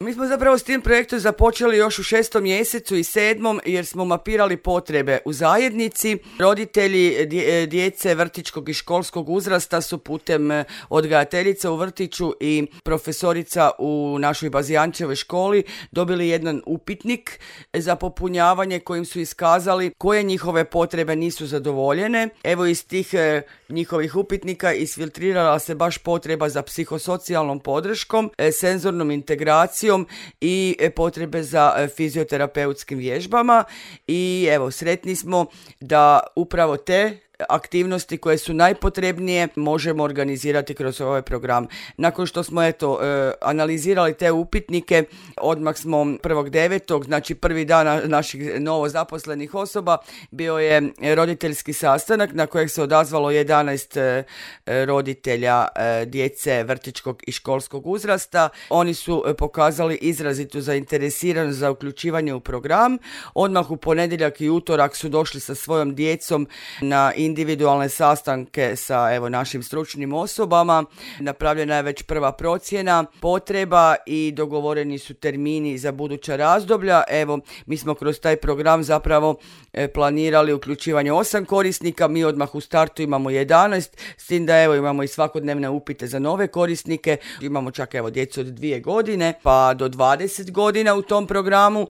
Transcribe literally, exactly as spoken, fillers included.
Mi smo zapravo s tim projektom započeli još u šestom mjesecu i sedmom jer smo mapirali potrebe u zajednici. Roditelji djece vrtićkog i školskog uzrasta su putem odgajateljica u vrtiću i profesorica u našoj Bazijančevoj školi dobili jedan upitnik za popunjavanje kojim su iskazali koje njihove potrebe nisu zadovoljene. Evo iz tih e, njihovih upitnika isfiltrirala se baš potreba za psihosocijalnom podrškom, e, senzornom integracijom i e, potrebe za e, fizioterapeutskim vježbama i evo sretni smo da upravo te aktivnosti koje su najpotrebnije možemo organizirati kroz ovaj program. Nakon što smo eto e, analizirali te upitnike, odmah smo prvog devetog, znači prvi dan naših novo zaposlenih osoba, bio je roditeljski sastanak na kojeg se odazvalo jedanaest e, roditelja e, djece vrtićkog i školskog uzrasta. Oni su e, pokazali izrazitu zainteresiranost za uključivanje u program. Odmah u ponedjeljak i utorak su došli sa svojom djecom na individualne sastanke sa evo našim stručnim osobama. Napravljena je već prva procjena potreba i dogovoreni su termini za buduća razdoblja. Evo, mi smo kroz taj program zapravo e, planirali uključivanje osam korisnika, mi odmah u startu imamo jedanaest, s tim da evo imamo i svakodnevne upite za nove korisnike. Imamo čak evo djecu od dvije godine pa do dvadeset godina u tom programu.